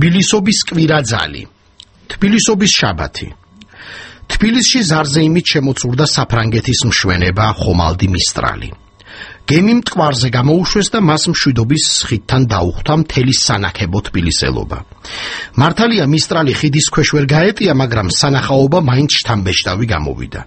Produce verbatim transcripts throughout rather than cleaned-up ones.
თბილისობის კვირაძალი, თბილისობის შაბათი. თბილისში ზარზე იმით შემოცურდა საფრანგეთის მშვენება ხომალდი მისტრალი. გემი მტკვარზე გამოუშვეს და მას მშვიდობის ხიდთან დაუხვდა მთელი სანახებო თბილისელობა. მართალია მისტრალი ხიდის ქვეშ ვერ გაეტია, მაგრამ სანახაობა მაინც შთამბეჭდავი გამოვიდა.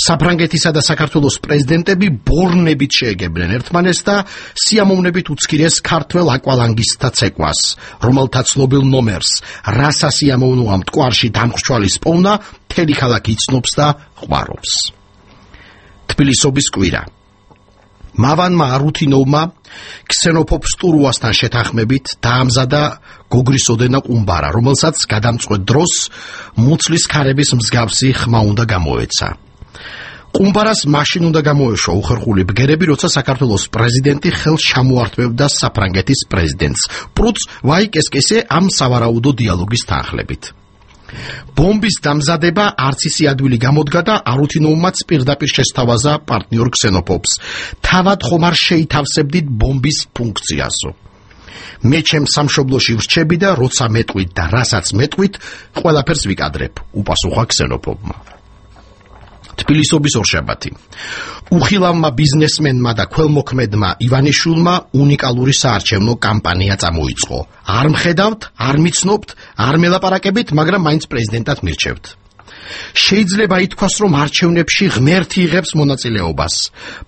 საფრანგეთისა და საქართველოს პრეზიდენტები ბორნებით შეეგებნენ ერთმანეთს და სიამოვნებით უცქირეს ქართველ აკვალანგისტთა ცეკვას, რომელთა ცნობილ ნომერს რასა სიამოვნოა მტკვარში დამხრჩვალის პოვნა, მთელი ქალაქი იცნობს და ყვარობს. თბილისობის კვირა. მავანმა არუთინოვმა ქსენოფობ სტურუასთან შეთანხმებით დაამზადა გოგრის ოდენა ყუმბარა, რომელსაც გადამწყვეტ დროს მუცლის ქარების მსგავსი ხმა უნდა გამოეცა. ყუმბარას მაშინ უნდა გამოეშვა უხერხული ბგერები, როცა საქართველოს პრეზიდენტი ხელს ჩამოართმევდა საფრანგეთის პრეზიდენტს, პრუც ვაიკესკესე ამ სავარაუდო დიალოგის თანხლებით. ბომბის დამზადება არც ისი ადვილი გამოდგა და არუთინოვმაც პირდაპირ შესთავაზა პარტნიორ ქსენოფობს. თავად ხომ არ შეითავსებდით ბომბის ფუნქციასო. მე ჩემ სამშობლოში ვრჩები და როცა მეტყვით და რასაც მეტყვით, ყველაფერს ვიკადრებ, უპასუხა ქსენოფობმა. თბილისობის ორშაბათი. უხილავმა ბიზნესმენმა და ქველმოქმედმა ივანიშვილმა უნიკალური საარჩევნო კამპანია წამოიწყო. არ მხედავთ, არ მიცნობთ, არ მელაპარაკებით, მაგრამ მაინც პრეზიდენტად მირჩევთ. შეიძლება ითქვას, რომ არჩევნებში ღმერთი იღებს მონაწილეობას,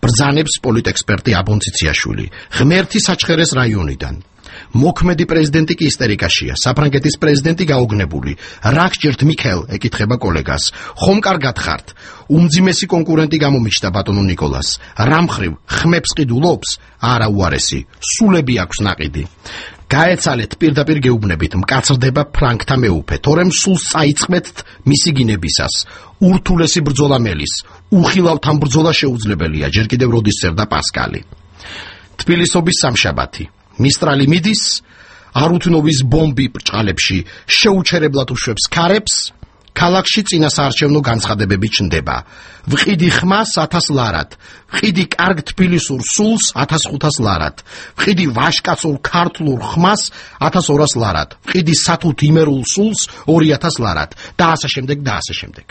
ბრძანებს პოლიტექსპერტი აბონ ციციაშვილი, ღმერთი საჩხერეს რაიონიდან. მოქმედი პრეზიდენტი კი ისტერიკაშია, საფრანგეთის პრეზიდენტი გაოგნებული. რა გჭირთ მიქელ, ეკითხება კოლეგას. ხომ კარგად ხართ? უმძიმესი კონკურენტი გამომიჩნდა ბატონო ნიკოლას. რა მხრივ, ხმებს ყიდულობს? არა უარესი, სულები აქვს ნაყიდი. გაეცალეთ პირდაპირ გეუბნებით, მკაცრდება ფრანგთა მეუფე, თორემ სულს წაიწყმეთ მისი გინებისას. ურთულესი ბრძოლა მელის, უხილავთან ბრძოლა შეუძლებელია, ჯერ კიდევ როდის წერდა პასკალი. თბილისობის სამშაბათი. მისტრალი მიდის, არუთინოვის ბომბი ბრჭყალებში შეუჩერებლად უშვებს ქარებს, ქალაქში წინა საარჩევნო განცხადებები ჩნდება. ვყიდი ხმას ათას ლარად, ვყიდი კარგ თბილისურ სულს ათას ხუთას ლარად, ვყიდი ვაშკაცურ ქართლურ ხმას ათას ორას ლარად, ვყიდი სათუთ იმერულ სულს ორი ათას ლარად და ასე შემდეგ და ასე შემდეგ.